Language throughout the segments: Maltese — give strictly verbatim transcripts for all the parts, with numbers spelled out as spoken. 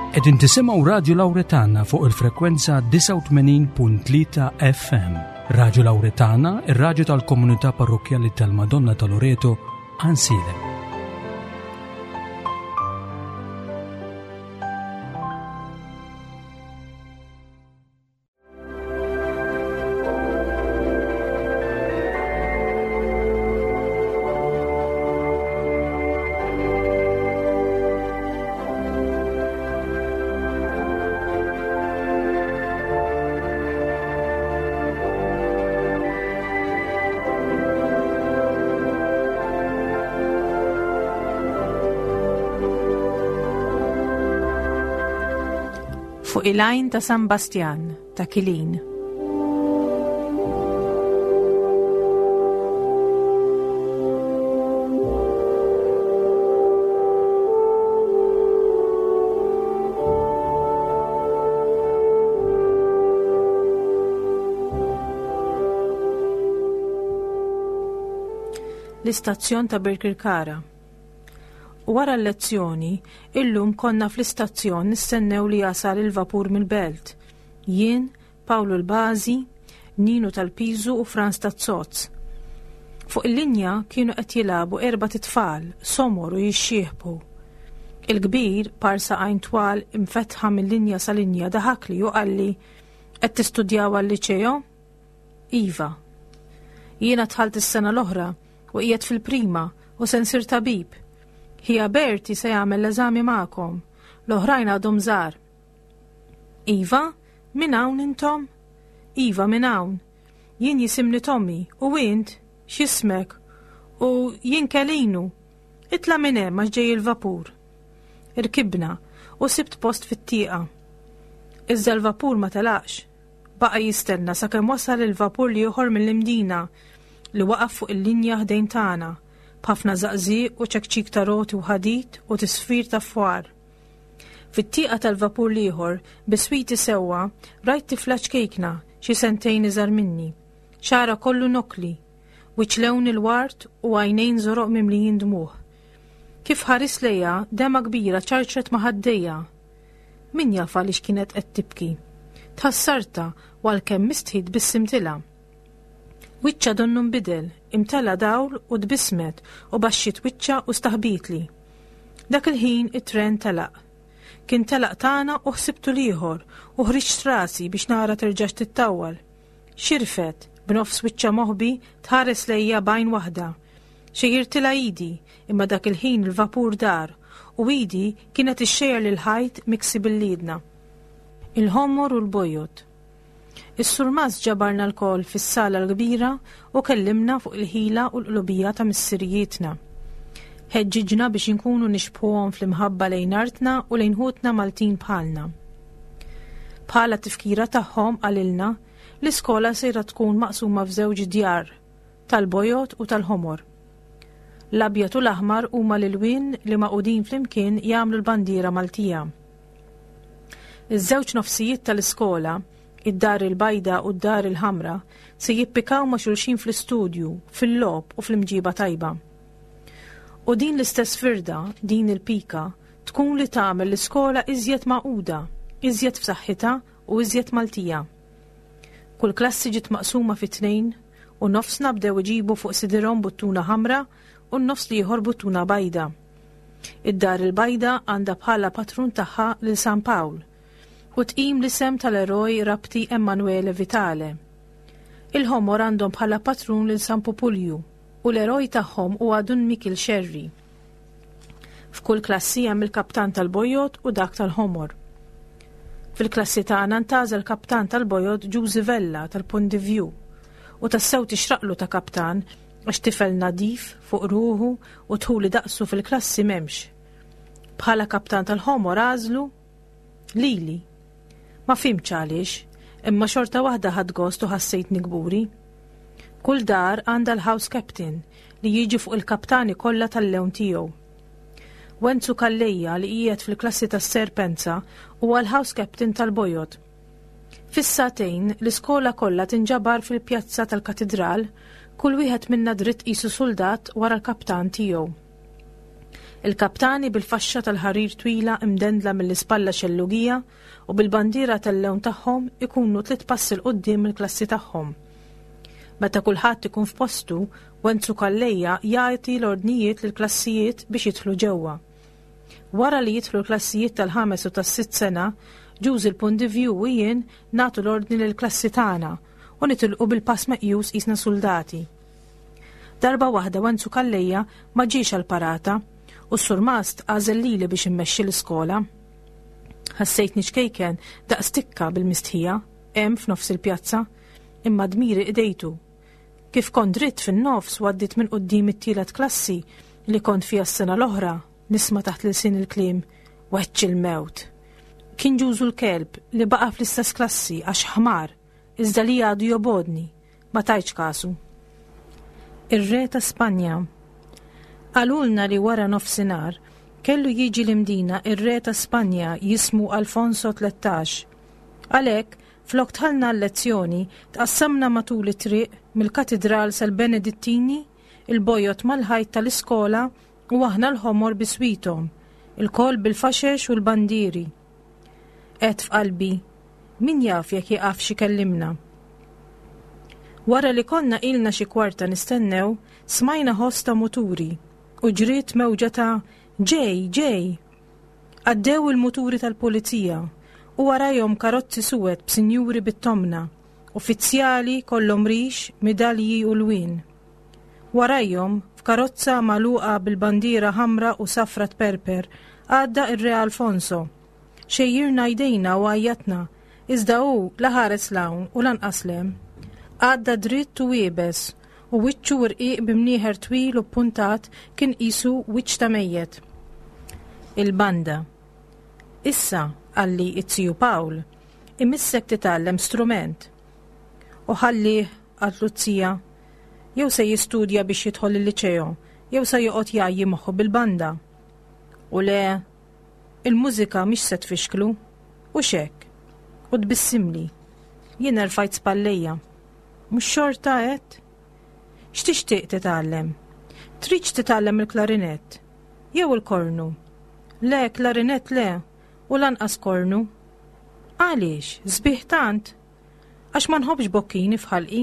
Qegħdin tisimgħu Radju Lawretana fuq il-frekwenza disgħa u tmenin punt tlieta F M. Radju Lawretana, ir-radju tal-Komunità Parrokkjali tal-Madonna ta' Loreto, Għajnsielem. Fuq il-għajn ta' San Bastjan ta' Kilin. L-istazzjon ta' Birkirkara. Wara l-lezzjoni, illum konna fl-istazzjon nistennew li jasal il-vapur mill-belt. Jien, Pawlu l-Bażi, Ninu tal-Piżu u Franz Tazzozz. Fuq il-linja kienu qed jilagħbu erbat itfal, somor u jixxieħbu. Il-kbir, par saqajn twal imfetħa mill-linja sa linja, daħakli u qalli: "Qed tistudjaw għal-liċeo?" "Iva." "Jiena dħalt is-sena l-oħra u qiegħed fil-prima u se nsir tabib. Ħija Berti se jagħmel l-eżami magħkom, l-oħrajn għadhom żgħar." "Iva, minn hawn intom?" "Iva, minn hawn. Jien jisimni Tommy, u int, x'ismek?" "U jien Kelinu. Itla' minn hemm għax ġej il-vapur." Irkibna u sibt post fit-tieqa. Iżda l-vapur ma telaqx. Baqa' jistenna sakemm wasal il-vapur l-ieħor mill-Imdina li waqaf fuq il-linja ħdejn tagħna b'ħafna żaqżiq u ċekċik ta' roti u ħadid u tisfir ta' fwar. Fit-tieqa tal-vapur l-ieħor, biswiti sewwa, rajt tifla ċkejkna xi sentejn iżgħar minni. Xagħarha kollu nokli, wiċċ lewn il-ward u għajnejn żoroq mimlijin dmuħ. Kif ħarist lejha, demgħa kbira ċarċret ma' ħaddejha. Min jaf għaliex kienet qed tibki. Tħassartha u għalkemm mistħi tbissimtilha. Wiċċha donnu nbidel, imtela dawl u tbissmet u baxxiet wiċċha u staħbitli. Dak il-ħin it-tren telaq. Kien telaq tagħna u ħsibtu l-ieħor u ħriġt rasi biex nara terġax tittawwal. Xirfet, b'nofs wiċċha moħbi, tħares lejja b'għajn waħda. Xejjirtilha idi, imma dak il-ħin il-vapur dar u idi kienet ixxejjer lil ħajt miksi bil-liedna. Il-ħomor u l-bojod. Is-surmast ġabarna lkoll fis-sala l-kbira u kellimna fuq il-ħila u l-qlubija ta' missirijietna. Ħeġġiġna biex inkunu nixbħuhom fl-imħabba lejn artna u lejn ħutna Maltin bħalna. Bħala tifkira tagħhom, qalilna, l-iskola sejra tkun maqsuma f'żewġ djar, tal-bojod u tal-ħomor. L-abjad u l-aħmar huma l-ilwien li magħqudin flimkien jagħmlu l-bandiera Maltija. Iż-żewġ nofsijiet tal-iskola, id-dar il-bajda u d-dar il-ħamra, se jippikaw ma' xulxin fl-istudju, fil-logħob u fl-imġiba tajba. U din l-istess firda, din il-pika, tkun li tagħmel l-iskola iżjed magħquda, iżjed f'saħħitha u iżjed Maltija. Kull klassi ġiet maqsuma fi tnejn u nofsna bdew iġibu fuq sidirhom buttuna ħamra u n-nofs l-ieħor buttuna bajda. Id-dar il-bajda għandha bħala patrun tagħha lil San Pawl u tqim l-isem tal-eroj Rabti Emanuele Vitale. Il-ħomor għandhom bħala patrun lil San Pupulju u l-eroj tagħhom huwa Dun Mikil Xerri. F'kull klassi hemm il-kaptan tal-bojod u dak tal-ħomor. Fil-klassi tagħna ntgħażel kaptan tal-bojod Ġużi Vella tal-Ponte View u tassew tixraqlu ta' kaptan għax tifel nadif fuq ruħu u dħuli daqsu fil-klassi m'hemmx. Bħala kaptan tal-ħomor għażlu lili. Ma fhimtx għaliex, imma xorta waħda ħadt gost u ħassejtni kburi. Kull dar għandha l-house captain li jiġi fuq il-kaptani kollha tal-lewn tiegħu. Wenzu Calleja li qiegħed fil-klassi tas-Serpenza huwa l-house captain tal-Bojod. Fis-sagħtejn l-iskola kollha tinġabar fil-pjazza tal-katedral, kull wieħed minna dritt qisu soldat wara l-kaptan tiegħu. Il-kaptani bil-faxxa tal-ħarir twila imdendla mill-ispalla xellugija u bil-bandiera tal-lewn tagħhom ikunu tliet passi 'l quddiem il-klassi tagħhom. Meta kulħadd ikun f'postu, Wenzu Calleja jagħti l-ordnijiet lill-klassijiet biex jidħlu ġewwa. Wara li jidħlu l-klassijiet tal-ħames u tas-sitt sena, Ġużi l-Pondivju u jien nagħtu l-ordni lill-klassi tagħna u nitilqu bil-pass meqjus qisna suldati. Darba waħda Wenzu Calleja ma ġiex għall-parata u s-surmast għażel lili biex immexxi l-iskola. Ħassejtni ċkejken daqs tikka bil-mistħija, hemm f'nofs il-pjazza, imma dmiri qdejtu. Kif kont dritt fin-nofs u għaddit minn quddiem it-tielet klassi li kont fiha s-sena l-oħra, nisma' taħt l-ilsien il-kliem weċċ il-mewt. Kien Ġużu l-kelb li baqa' fl-istess klassi għax ħmar, iżda li għadu jobgħodni, ma tajtx kasu. Ir-re ta' Spanja. Qalulna li wara nofsinhar kellu jiġi l-Imdina ir-re ta' Spanja jismu Alfonso tlettax. Għalhekk, flok dħalna l-lezzjoni, tqassamna matul it-triq mill-katidral sal-Benedittini, il-bojod mal-ħajt tal-iskola u aħna l-ħomor biswithom, ilkoll bil-faxex u l-bandieri. Għedt f'qalbi, min jaf jekk jieqafx ikellimna. Wara li konna ilna xi kwarta nistennew, smajna ħoss ta' muturi u ġriet mewġa ta' ġej, ġej. Għaddew il-muturi tal-pulizija u warajhom karozzi suwed b'sinjuri bit-tomna, uffiċjali kollhom rix, midalji u lwien. Warajhom, f'karozza magħluqa bil-bandiera ħamra u safra tperper, għadda ir-Re Alfonso. Xejjirna jdejna u għajjatna, iżda hu la ħares 'l hawn u lanqas 'l hemm. Għadda dritt u iebes, u wiċċu rqiq b'imnieħer twil u puntat kien qisu wiċċ ta' mejjet. Il-banda. Issa, qalli it-tiju Pawl, imissek titgħallem strument. U ħallih, qaltlu z-zija, jew se jistudja biex jidħol il-liċeo, jew se joqgħod jgħajji moħħu bil-banda. U le, il-mużika mhix se tfixklu, u xek, u tbissimli. Jien erfajt spallejja. Mhux xorta għedt? X'tixtieq titgħallem? Tridx titgħallem il-klarinett? Jew il-kornu? Le, klarinett le, u lanqas kornu. Għaliex, sbieħ tant? Għax ma nħobbx bokkini f'ħalqi.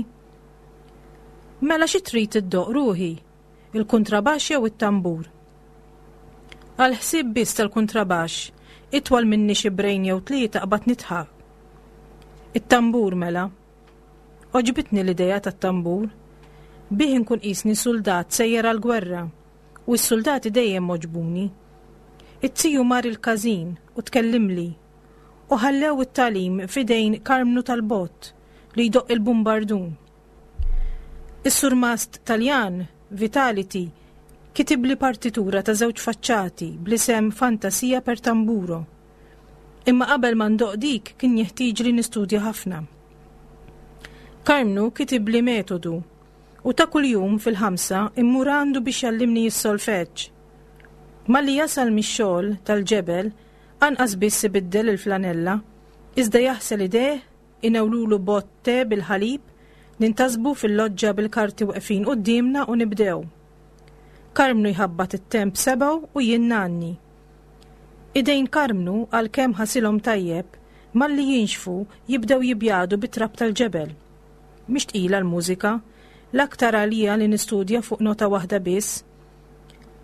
Mela xi trid iddoqq ruħi? Il-kuntrabaxx jew it-tambur? Għal ħsieb biss tal-kuntrabaxx, itwal minni xi brejn jew tlieta qbad nidħak. It-tambur mela. Għoġbitni l-idea tat-tambur. Bih inkun qisni suldat sejjer għall-gwerra, u s-soldati dejjem għoġbuni. It-tiju mar il-każin u tkellimli, u ħallew it-tagħlim f'idejn Karmnu tal-Bott li jdoqq il-bumbardun. Is-surmast Taljan, Vitality, kitibli partitura ta' żewġ faċċati bl-isem Fantasia per Tamburo. Imma qabel ma ndoqq dik kien jeħtieġ li nistudja ħafna. Karmnu kitibli metodu u ta' kuljum fil-ħamsa immur għandu biex jgħallimni s-solfeġġ. Malli jasal mix-xogħol tal-ġebel, anqas biss ibiddel il-flanella, iżda jaħsel idejh, inewlulu bott te bil-ħalib, nintasbu fil-loġġa bil-karti weqfin quddiemna u nibdew. Karmnu jħabbat it-temp sebgħu u jien ngħanni. Idejn Karmnu għalkemm ħasilhom tajjeb, malli jinxfu jibdew jibjadu bit-trab tal-ġebel. Mhix tqila l-mużika, l-aktar għalija li nistudja fuq nota waħda biss.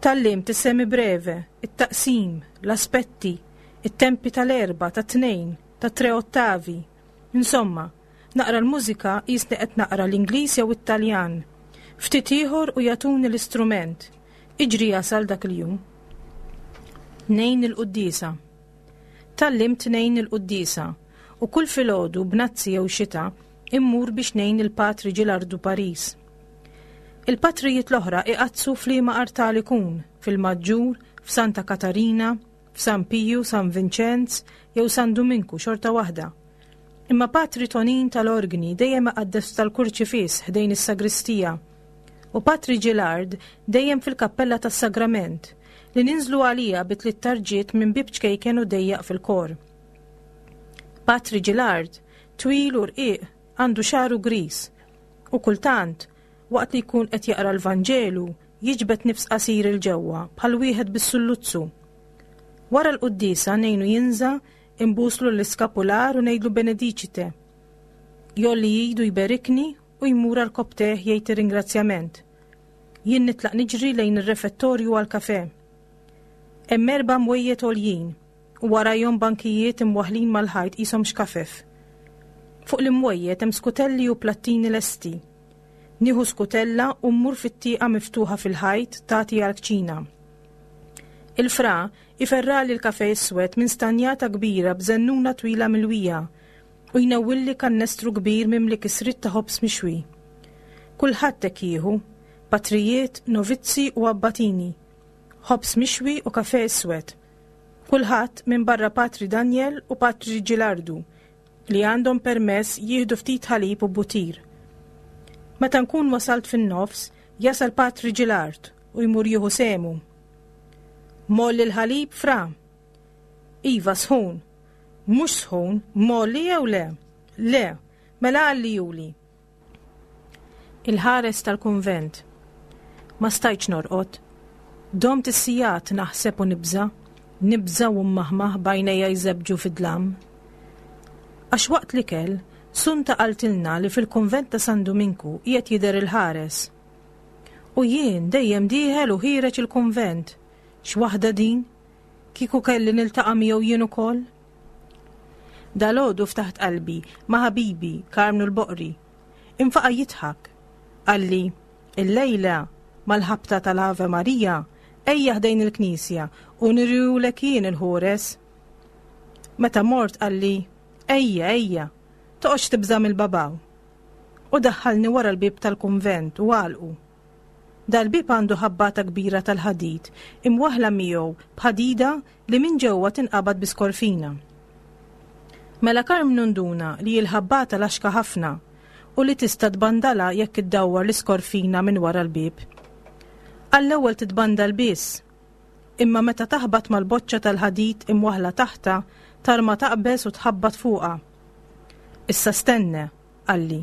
Tgħallimt is-semibreve, it-taqsim, l-aspetti, it-tempi tal-erba, tat-tnejn, tat-tre ottavi. Insomma, naqra l-mużika qisni qed naqra l-Ingliż jew it-Taljan. Ftit ieħor u jagħtuni l-istrument. Iġri jasal dak il-jum. Ngħin il-quddiesa. Tgħallimt ngħin il-quddiesa u kull filgħodu bnazzi jew xita immur biex ngħin il-Patri Ġilardu Paris. Il-patrijiet l-oħra iqaddsu f'liema artal ikun, fil-Maġġur, f'Santa Katarina, f'San Piju, San Vinċenz jew San Duminku xorta waħda. Imma Patri Tonin tal-Orgni dejjem iqaddes tal-Kurċifiss ħdejn is-sagristija u Patri Ġilard dejjem fil-kappella tas-Sagrament li ninżlu għalija bi tliet tarġiet minn bieb ċkejken u dejjaq fil-kor. Patri Ġilard, twil u rqiq, għandu xagħru gris u kultant, waqt li jkun qed jaqra l-Vanġelu, jiġbed nifs qasir 'il ġewwa bħal wieħed bis-sulluzzu. Wara l-quddiesa ngħinu jinża', imbuslu l-iskapular u ngħidlu benedicite. Jgħolli idu jberikni u jmur għarkopptejh jgħid ir-ringrazzjament. Jien nitlaq niġri lejn ir-refettorju għal-kafe. Hemm erba' mwejjed għoljin u warajhom bankijiet imwaħlin mal-ħajt qishom xkafef. Fuq l-imwejjed hemm skutelli u plattini lesti. Nieħu skutella u mmur fit-tieqa miftuħa fil-ħajt tagħti għall-kċina. Il-fra iferrali l-kafe iswed minn stanjata kbira b'żennuna twila milwija u jnewwilli kannestru kbir mimli kisrit ta' ħobż mixwi. Kulħadd hekk jieħu, patrijiet, novizzi u abbatini. Ħobż mixwi u kafe iswed. Kulħadd minn barra Patri Daniel u Patri Gilardu li għandhom permess jieħdu ftit ħalib u butir. Meta nkun wasalt fin-nofs, jasal Patri Gilard u jmur jieħu sehmu. Mgħolli l-ħalib, fra? Iva, sħun. Mhux sħun, mgħolli jew le? Le, mela għollihuli. Il-ħares tal-kunvent. Ma stajtx norqod. Domt is-sigħat naħseb u nibża, nibża u maħmaħ b'għajnejja jżebbġu fid-dlam. Għax waqt l-ikel, Sunta qaltilna li fil-kunvent ta' San Duminku qiegħed jidher il-ħares. U jien dejjem dieħel u ħiereġ il-kunvent. X'waħda din? Kieku kelli niltaqa' miegħu jien ukoll? Dalgħodu ftaħt qalbi ma' ħabibi Karmnu l-Boqri. Infaqa' jidħak. Qalli, illejla mal-ħabta tal-Ave Maria, ejja ħdejn il-knisja u nurihulek jien il-ħores. Meta mort qalli, ejja, ejja, toqgħodx tibża' mill-babaw. U daħħalni wara l-bib tal-kunvent u għalqu. Dal-bib għandu ħabbata kbira tal-ħadid imwaħla miegħu b'ħadida li minn ġewwa tinqabad bi skorfina. Mela Karmnu nduna li l-ħabbata laxka ħafna u li tista' tbandala jekk iddawwar l-iskorfina minn wara l-bib. Għall-ewwel titbandal biss, imma meta taħbat mal-boċċa tal-ħadid imwaħla taħta, tarma taqbeż u tħabbat fuqha. Issa stenna, qalli.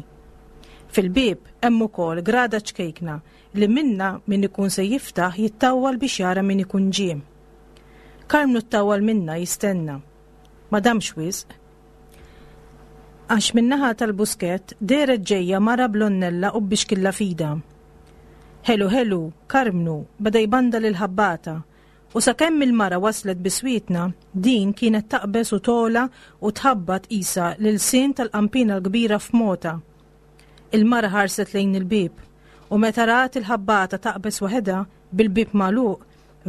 Fil-bib hemm ukoll grada ċkejkna li minna min ikun se jiftaħ jittawwal biex jara min ikun ġie. Karmnu ttawwal minna jistenna. Ma damx wisq. Għax min-naħa tal-buskett dehret ġejja mara bl-għonnella u bixkilla f'idha. Ħelu ħelu, Karmnu beda jbandal il-ħabbata u sakemm il-mara waslet biswitna, din kienet taqbeż u togħla u tħabbat qisha l-ilsien tal-qampina l-kbira f'mota. Il-mara ħarset lejn il-bib u meta rat il-ħabbata taqbeż waħedha bil-bib magħluq,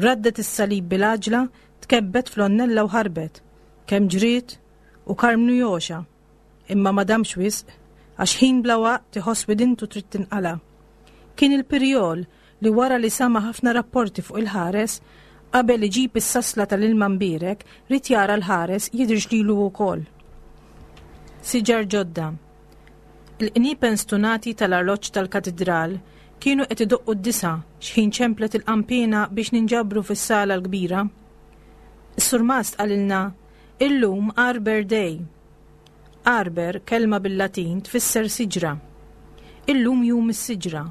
raddet is-salib bil-għaġla, tkebbet fl-għonnella u ħarbet. Kemm ġriet u Karmnu jogħxa. Imma ma damx wisq, għax ħin bla waqt iħoss widintu trid tinqala. Kien il-pirjol li wara li sama ħafna rapporti fuq il-ħares, qabel iġib is-sasla tal-ilma mbierek, ried jara l-ħares jidhirx lilu wkoll. Siġar ġodda. Il-qniepen stunati tal-arloġġ tal-katedral kienu qed idoqqu d-disa xħin ċemplet il-qampina biex ninġabru fis-sala l-kbira. Is-surmast qalilna, illum Arbor Day. Arbor, kelma bil-Latin, tfisser siġra. Illum jum is-siġra.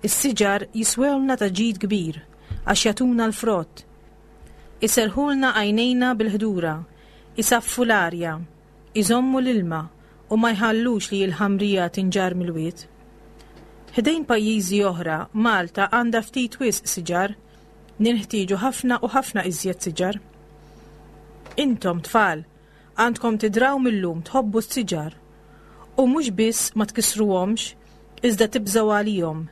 Is-siġar jiswewlna ta' ġid kbir għax jagħtuna l-frott. Iserħulna għajnejna bil-ħdura, isaffu l-arja, iżommu l-ilma u ma jħallux li l-ħamrija tinġar mill-wied. Ħdejn pajjiżi oħra, Malta għandha ftit wisq siġar, ninħtieġu ħafna u ħafna iżjed siġar. Intom tfal, għandkom tidraw mil-lum tħobbu s-siġar u mhux biss ma tkissruhomx, iżda tibżgħu għalihom.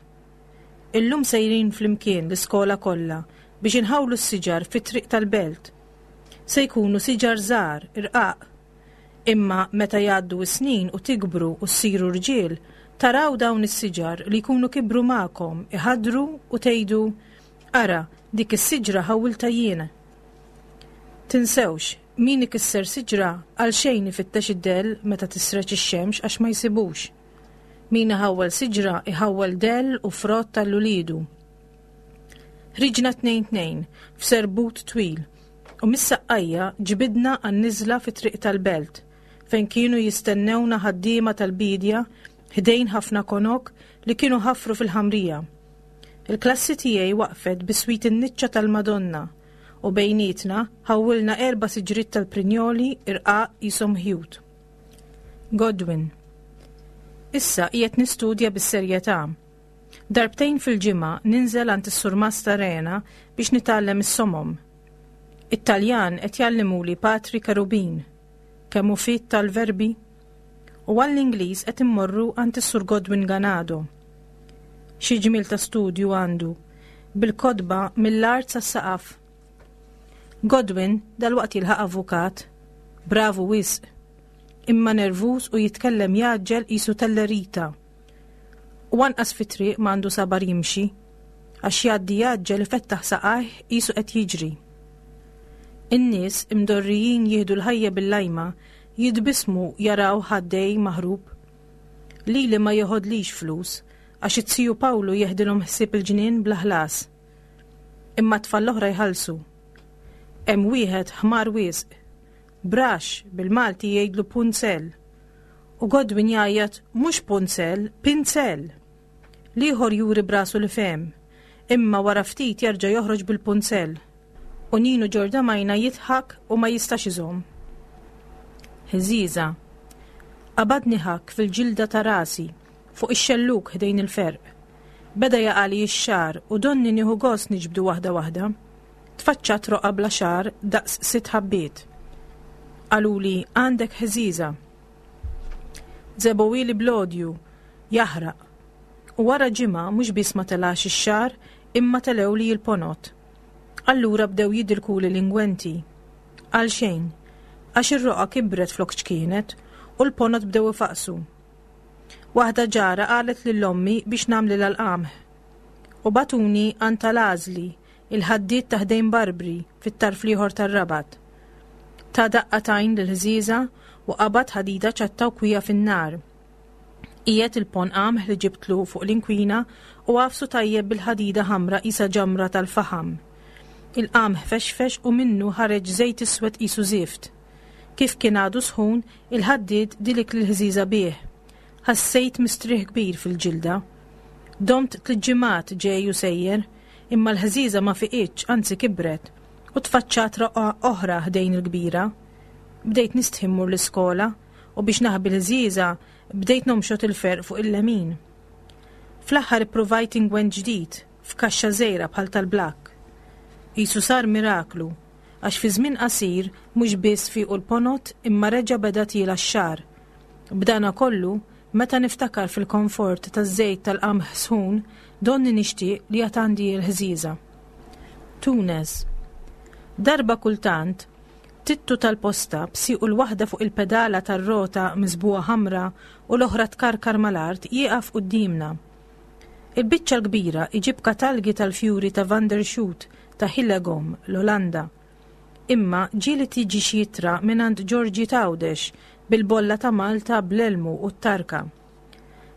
Illum sejrin flimkien l-iskola kollha biex inħawlu s-siġar fit-triq tal-belt. Se jkunu siġar żgħar, irqaq. Imma meta jgħaddu s-snin u tikbru u ssiru rġiel, taraw dawn is-siġar li jkunu kibru magħkom, iħaddru u tgħidu, ara, dik is-siġra ħawwilta jiena. Tinsewx, min ikisser siġra għal xejn ifittex id-dell meta tisreġ ix-xemx għax ma jsibux. Min iħawwel siġra iħawwel dell u frott għal uliedu. Ħriġna tnejn tnejn f'serbut twil u mis-saqqajja ġbidna għan-niżla fit-triq tal-belt fejn kienu jistennewna ħaddiema tal-bidja ħdejn ħafna konok li kienu ħafru fil-ħamrija. Il-klassi tiegħi waqfet biswit in-niċċa tal-Madonna u bejnietna ħawwilna erba' siġriet tal-prinjoli irqaq qishom ħjut. Godwin. Issa qiegħed nistudja bis-serjetà. Darbtejn fil-ġimgħa ninżel għand is-Surmast Arena biex nitgħallem is-somom. It-Taljan qed jgħallimuli Patri Kerubin. Kemm hu fit tal-verbi? U għall-Ingliż qed immorru għand is-Sur Godwin Ganado. Xi ġmiel ta' studju għandu, bil-kotba mill-art sas-saqaf. Godwin dalwaqt jilħaq avukat, bravu wisq, imma nervuż u jitkellem jgħaġġel qisu tellerita. U anqas fit-triq m'għandu sabar jimxi, għax jgħaddi jgħaġġel ifettaħ saqajh qisu qed jiġri. In-nies imdorrijin jieħdu l-ħajja bil-lajma jitbissmu jaraw ħaddej maħrub. Lili ma jeħodlix flus, għax it-tiju Pawlu jeħdilhom ħsieb il-ġnien bla ħlas. Imma t-tfal l-oħra jħallsu. Hemm wieħed ħmar wisq. Brax bil-Malti jgħidlu punzel. U Godwin jgħajjat mhux punzel, pinzel. L-ieħor juri brasu li fehem, imma wara ftit jerġa' joħroġ bil-punzel. U Ninu Ġordamajna jidħak u ma jistax iżomm. Ħżiża. Qabadni ħakk fil-ġilda ta' rasi, fuq ix-xelluk ħdejn il-ferq. Beda jaqali x-xagħar u donni nieħu gost niġbdu waħda waħda. Tfaċċat roqgħa bla xagħar daqs sitt ħabbiet. Qaluli għandek ħżiża. Żebgħuhieli bl-odju, jaħraq. U wara ġimgħa mhux biss ma telax ix-xagħar imma telewli l-ponot. Allura bdew jidilkuli l-ingwenti. Għal xejn, għax ir-roqgħa kibret flok ċkienet u l-ponot bdew ifaqsu. Waħda ġara qalet lil ommi biex nagħmlilha l-qamħ. U bagħtuni għand tal-għażli, il-ħaddied ta' ħdejn Barbri fit-tarf l-ieħor tar-Rabat. Ta' daqqa t'għajn lill-ħżiża u qabad ħadida ċatta u kwija fin-nar. Qiegħed il-pon qamħ li ġibtlu fuq l-inkwina u għafsu tajjeb bil-ħadida ħamra qisha ġamra tal-faħam. Il-qamħ fexfex u minnu ħareġ żejt iswed qisu żift. Kif kien għadu sħun, il-ħaddied dilik l-ħżiża bih. Ħassejt mistrieħ kbir fil-ġilda. Domt tliet ġimgħat ġej u sejjer, imma l-ħżiża ma fiqitx, anzi kibret, u tfaċċat roqgħa oħra ħdejn il-kbira. Bdejt nistħi mmur l-iskola u biex naħbi l-ħżiża bdejt nomxot il-ferq fuq il-lemin. Fl-aħħar ippruvajt ingwent ġdid f'kaxxa żgħira bħal tal-blakk. Qisu sar miraklu, għax fi żmien qasir mhux biss fiqu l-ponot imma reġa' beda tiela x-xagħar. B'dana kollu, meta niftakar fil-komfort taż-żejt tal-qamħ sħun, donni nixtieq li għad għandi l-ħżiża. Tunes. Darba kultant, tittu tal-posta b'siequ l-waħda fuq il-pedala tar-rota miżbugħa ħamra u l-oħra tkarkar mal-art jieqaf quddiemna. Il-biċċa l-kbira iġib katalgi tal-fjuri ta' Van der Schoot ta' Hillegom, l-Olanda. Imma ġieli tiġi xi ittra mingħand Ġorġi Tawdex bil-bolla ta' Malta bl-elmu u t-tarka.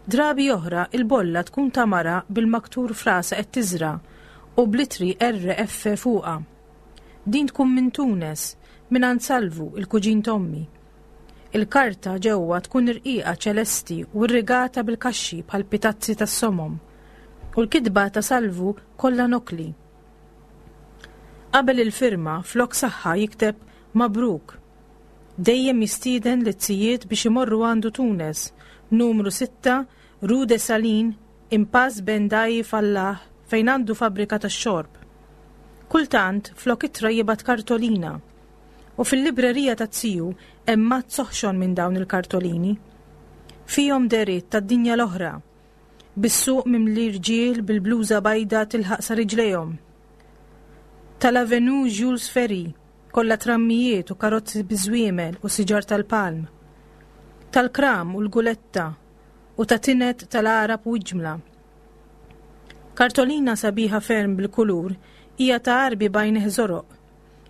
Drabi oħra il-bolla tkun ta' mara bil-maktur frasa qed tiżra u bl-ittri R F fuqha. Din tkun minn Tunes, mingħand Salvu, il-kuġin t'ommi. Il-karta ġewwa tkun irqiqa ċelesti u rrigata bil-kaxxi bħal pitazzi tas-somom. U l-kitba ta' Salvu kollha nokli. Qabel il-firma flok saħħa jikteb Mabruk. Dejjem jistieden lit-tzijiet biex imorru għandu Tunes, numru sitta, Rue de Salin, Impasse Bendai Fallah, fejn għandu fabbrika tax-xorb. Kultant flok ittra jibgħat kartolina. U fil-librerija ta' tiju hemm mazz oħxon minn dawn il-kartolini. Fihom deriet tad-dinja l-oħra, bis-suq mimli rġiel bil-bluża bajda tilħaq sa riġlejhom. Tal-Avenue Jules Ferry, kollha trammijiet u karozzi biżwiemel u siġar tal-palm. Tal-kram u l-guletta u ta' tinet tal-Arab u ġmla. Kartolina sabiħa ferm bil-kulur hija ta' Għarbi bajn żoroq,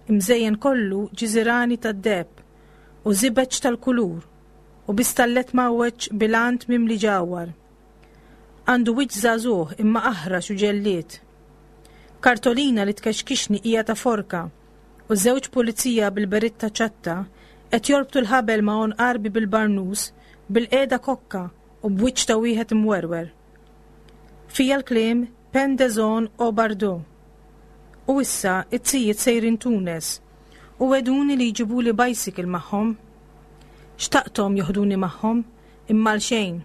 imżejjen kollu ġiżirani tad-deheb u żibeġ tal-kulur u bistallet mawweġ bilant mimli ġawhar. Għandu wiċċ żagħżugħ imma aħrax u ġellied. Kartolina li tkexkixni hija ta' forka u żewġ pulizija bil-beritta ċatta qed jorbtu l-ħabel ma' għonq Għarbi bil-barnus, bil-qiegħda kokka u b'wiċċ ta' wieħed imwerwer. Fija l-kliem Pendezon o Bardo. U issa it-tijiet sejrin Tunes u wegħduni li jġibuli bicycle magħhom. Xtaqthom joħduni magħhom imma l-xejn.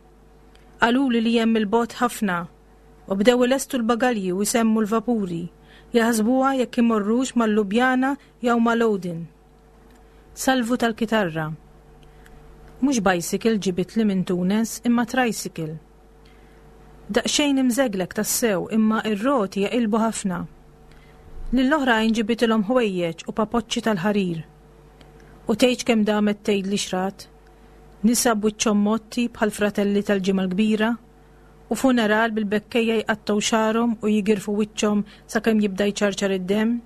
Qaluli li hemm il-bogħod ħafna u bdew ilestu l-bagalji u jsemmu l-vapuri, jaħsbuha jekk imorrux mal-Lubjana jew mal-Odin. Salvu tal-kitarra. Mhux bicycle ġibitli minn Tunes imma tricycle. Daqsxejn imżeglek tassew imma ir-roti jaqilbu ħafna. Lill-oħrajn ġibitilhom ħwejjeġ u papoċċi tal-ħarir. U tgħidx kemm damet tgħidli x'rat. Nisa b'wiċċhom motti bħal fratelli tal-Ġimgħa l-Kbira u funeral bil-bekkejja jqattgħu xagħarhom u jigirfu wiċċhom sakemm jibda jċarċar id-demm.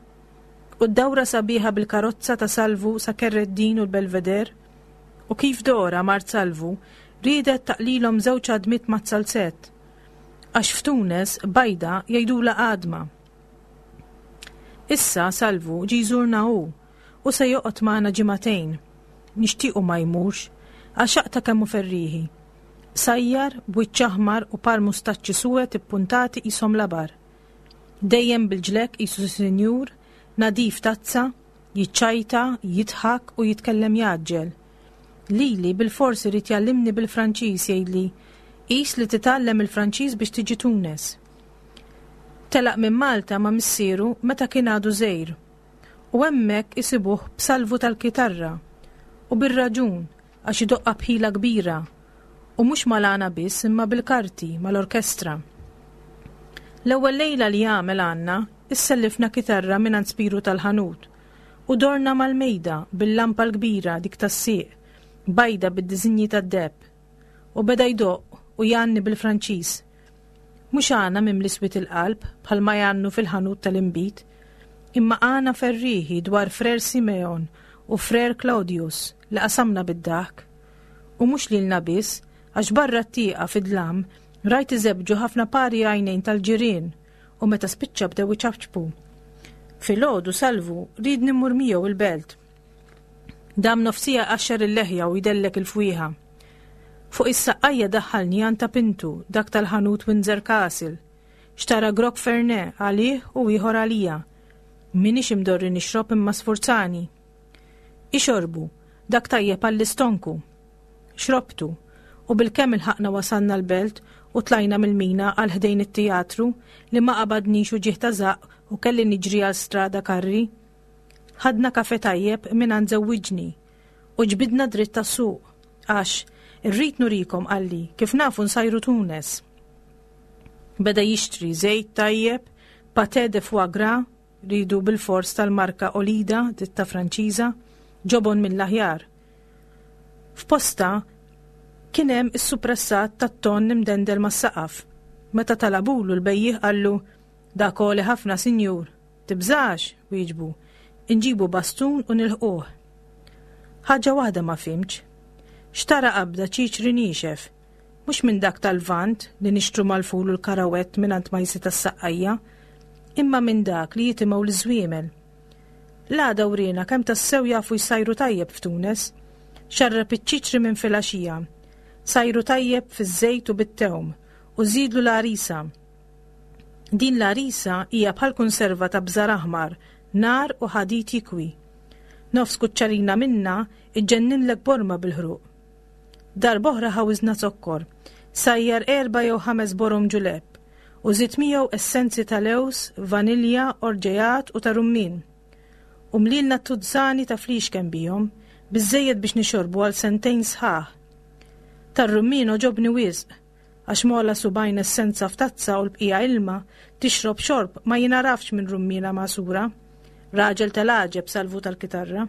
U d-dawra sabiħa bil-karozza ta' Salvu sa Kerreddin u l-Belveder. U kif Dora mart Salvu riedet taqlilhom żewġ għadmiet maz-zalzett. Għax f'Tunes bajda jgħidula għadma. Issa Salvu ġie jżurna hu u se joqgħod magħna ġimagħtejn. Nixtiequ ma jmurx għax aqta' kemm hu ferrieħi. Sajjar, b'wiċċ aħmar u par mustaċċi suwed ippuntati qishom labar. Dejjem bil-ġlek qisu sinjur, nadif tazza, jiċċajta, jidħak u jitkellem jgħaġġel. Lili bil-fors irid jgħallimni bil-Franċiż jgħidli, qis li titgħallem il-Franċiż biex tiġi Tunes. Telaq minn Malta ma' missieru meta kien għadu żgħir. U hemmhekk isibuh b'Salvu tal-kitarra. U bir-raġun għax idoqqa b'ħila kbira. U mhux mal-għana biss imma bil-karti mal-orkestra. L-ewwel lejla li għamel għandna issellifna kitarra minn Spiru tal-ħanut u dorna mal-mejda bil-lampa l-kbira dik tas-sieq, bajda bid-diżinji tad-deheb. U beda jdoqq u jgħanni bil-Franċiż. Mhux għana mimli swied il-qalb bħalma jgħannu fil-ħanut tal-inbid, imma għana ferrieħi dwar Frer Simeon u Frer Claudius li qasamna bid-daħk. U mhux lilna biss, għax barra t-tieqa fid-dlam rajt iżebġu ħafna pari għajnejn tal-ġirien u meta spiċċa bdew iċapċpu. Filgħodu Salvu ried immur miegħu il-belt. Dam nofs siegħa jqaxxar il-leħja u jdellek il-fwieħa. Fuq is-saqqajja daħħalni għand ta' Pintu, dak tal-ħanut Windsor Castle. Xtara grok Fernet għalih u ieħor għalija. Minix imdorri nixrob imma sfurzani. Ixorbu, dak tajjeb għall-istonku. Xrobtu, u bil-kemm ilħaqna wasalna l-belt u tlajna mill-mina għal ħdejn it-teatru li ma qabadnix uġigħ ta' żaqq u kelli niġri għal Strada Carri. Ħadna kafe tajjeb minn għand żewwiġni u ġbidna dritt tas-suq għax irrid nurikom qalli kif nafu nsajru Tunes. Beda jixtri żejt tajjeb, pâté de foie gras, ridu bil-fors tal-marka Olida, ditta Franċiża, ġobon mill-aħjar. F'posta kien hemm is-suppressat tat-ton imdendel mas-saqaf. Meta talabulu l-bejjiegħ qallu dak għoli ħafna sinjur. Tibżax, wieġbu, inġibu bastun u nilħquh. Ħaġa waħda ma fhimtx. Xtara qabda ċiċri niexef, mhux minn dak tal-Lvant li nixtru mal-ful u l-karawett minn għand Majsi tas-Saqqajja, imma minn dak li jitimgħu l-żwiemel. L-għada wriena kemm tassew jafu jsajru tajjeb f'Tunes, xarrab iċ-ċiċri minn filgħaxija, sajru tajjeb fiż-żejt u bit-tewm u żidlu l-għarisa. Din l-għarisa hija bħal konserva ta' bżar aħmar, nar u ħadid jikwi. Nofs kuċċarina minna iġġenninlek borma bil-ħruq. Darb'oħra ħawiżna zokkor, sajjar erba' jew ħames borom ġulepp u żid miegħu essenzi ta' lews, vanilja, orġejat u ta' rummin. U mlilna tuzzani ta' flixken bihom, biżejjed biex nixorbu għal sentejn sħaħ. Tar-rummin għoġobni wisq, għax mola subgħajn essenza f'tazza u l-bqija ilma tixrob xorb ma jinarafx minn rummina magħsura. Raġel tal-għaġeb Salvu tal-kitarra.